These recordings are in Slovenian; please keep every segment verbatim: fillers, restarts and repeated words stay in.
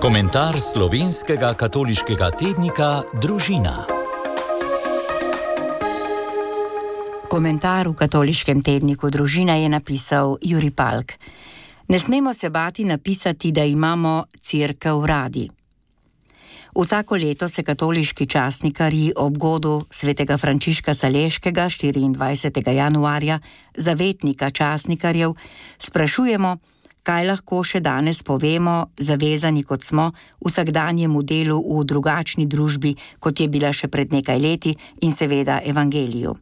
Komentar slovenskega katoliškega tednika Družina. Komentar v katoliškem tedniku Družina je napisal Jurij Palk. Ne smemo se bati napisati, da imamo cerkev radi. Vsako leto se katoliški časnikarji ob godu svetega Frančiška Saleškega štiriindvajsetega januarja, zavetnika časnikarjev, sprašujemo, kaj lahko še danes povemo, zavezani kot smo, vsakdanjemu delu v drugačni družbi, kot je bila še pred nekaj leti, in seveda evangeliju.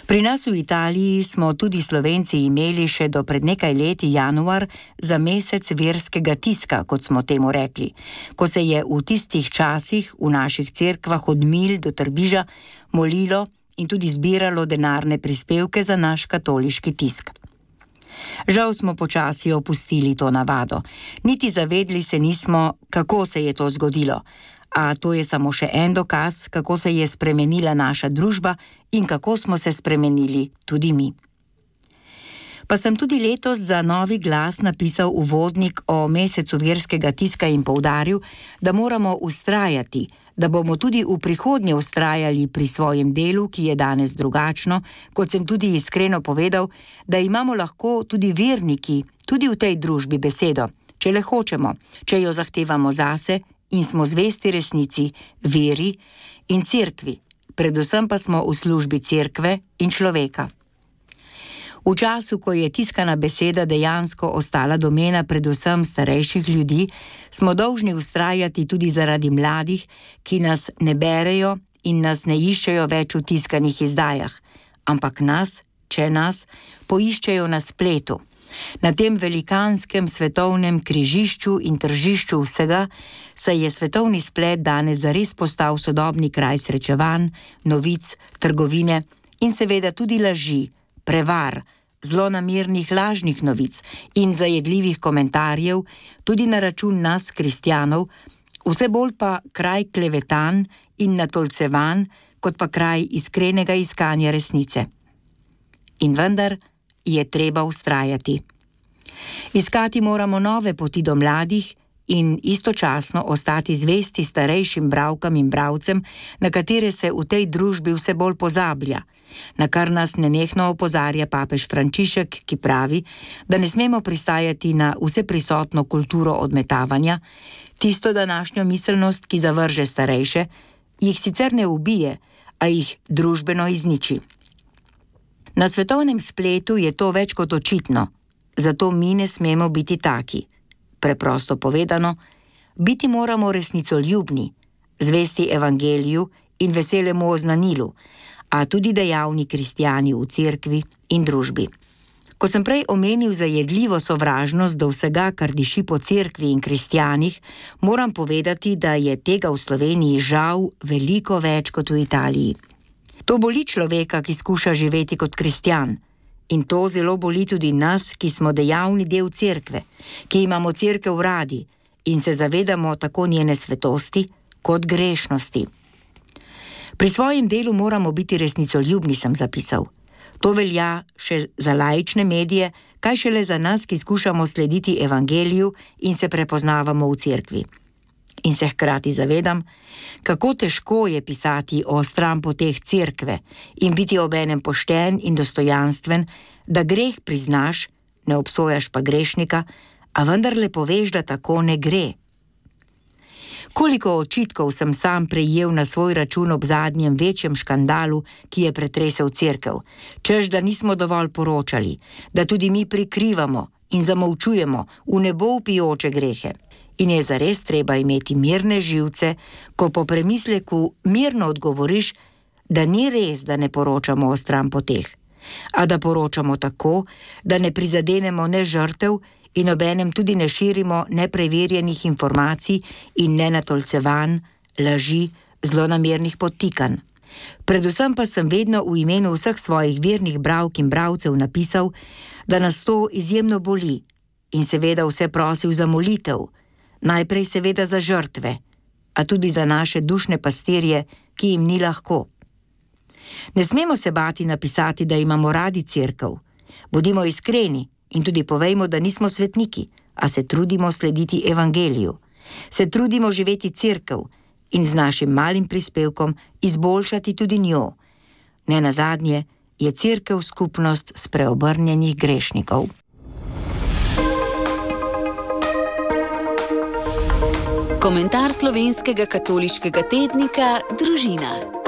Pri nas v Italiji smo tudi Slovenci imeli še do pred nekaj leti januar za mesec verskega tiska, kot smo temu rekli, ko se je v tistih časih v naših cerkvah od Milj do Trbiža molilo in tudi zbiralo denarne prispevke za naš katoliški tisk. Žal smo počasi opustili to navado. Niti zavedli se nismo, kako se je to zgodilo. A to je samo še en dokaz, kako se je spremenila naša družba in kako smo se spremenili tudi mi. Pa sem tudi letos za Novi glas napisal uvodnik o mesecu verskega tiska in poudaril, da moramo vztrajati, da bomo tudi v prihodnje vztrajali pri svojem delu, ki je danes drugačno, kot sem tudi iskreno povedal, da imamo lahko tudi verniki, tudi v tej družbi besedo, če le hočemo, če jo zahtevamo zase in smo zvesti resnici, veri in cerkvi, predvsem pa smo v službi cerkve in človeka. V času, ko je tiskana beseda dejansko ostala domena predvsem starejših ljudi, smo dolžni vztrajati tudi zaradi mladih, ki nas ne berejo in nas ne iščejo več v tiskanih izdajah, ampak nas, če nas, poiščejo na spletu. Na tem velikanskem svetovnem križišču in tržišču vsega, saj je svetovni splet danes zares postal sodobni kraj srečevanj, novic, trgovine in seveda tudi laži, prevar, zlonamernih lažnih novic in zajedljivih komentarjev, tudi na račun nas, kristjanov, vse bolj pa kraj klevetan in natolcevan, kot pa kraj iskrenega iskanja resnice. In vendar je treba vztrajati. Iskati moramo nove poti do mladih in istočasno ostati zvesti starejšim bralkam in bralcem, na katere se v tej družbi vse bolj pozablja, na kar nas nenehno opozarja papež Frančišek, ki pravi, da ne smemo pristajati na vseprisotno kulturo odmetavanja, tisto današnjo miselnost, ki zavrže starejše, jih sicer ne ubije, a jih družbeno izniči. Na svetovnem spletu je to več kot očitno, zato mi ne smemo biti taki. Preprosto povedano, biti moramo resnicoljubni, zvesti evangeliju in veselemu oznanilu, a tudi dejavni kristjani v cerkvi in družbi. Ko sem prej omenil zajedljivo sovražnost do vsega, kar diši po cerkvi in kristjanih, moram povedati, da je tega v Sloveniji žal veliko več kot v Italiji. To boli človeka, ki skuša živeti kot kristjan. In to zelo boli tudi nas, ki smo dejavni del cerkve, ki imamo cerkev radi in se zavedamo tako njene svetosti kot grešnosti. Pri svojem delu moramo biti resnicoljubni, sem zapisal. To velja še za laične medije, kaj šele za nas, ki skušamo slediti evangeliju in se prepoznavamo v cerkvi. In se hkrati zavedam, kako težko je pisati o stranpoteh cerkve in biti obenem pošten in dostojanstven, da greh priznaš, ne obsojaš pa grešnika, a vendarle poveš, da tako ne gre. Koliko očitkov sem sam prejel na svoj račun ob zadnjem večjem škandalu, ki je pretresel cerkev, češ da nismo dovolj poročali, da tudi mi prikrivamo in zamolčujemo v nebo vpijoče grehe. In je zares treba imeti mirne živce, ko po premisleku mirno odgovoriš, da ni res, da ne poročamo o stranpoteh, a da poročamo tako, da ne prizadenemo ne žrtev in obenem tudi ne širimo nepreverjenih informacij in nenatolcevanj, laži, zlonamernih podtikanj. Predvsem pa sem vedno v imenu vseh svojih vernih bralk in bralcev napisal, da nas to izjemno boli in seveda vse prosil za molitev, najprej seveda za žrtve, a tudi za naše dušne pastirje, ki jim ni lahko. Ne smemo se bati napisati, da imamo radi cerkev. Bodimo iskreni in tudi povejmo, da nismo svetniki, a se trudimo slediti evangeliju. Se trudimo živeti cerkev in z našim malim prispevkom izboljšati tudi njo. Nenazadnje je cerkev skupnost spreobrnjenih grešnikov. Komentar slovenskega katoliškega tednika Družina.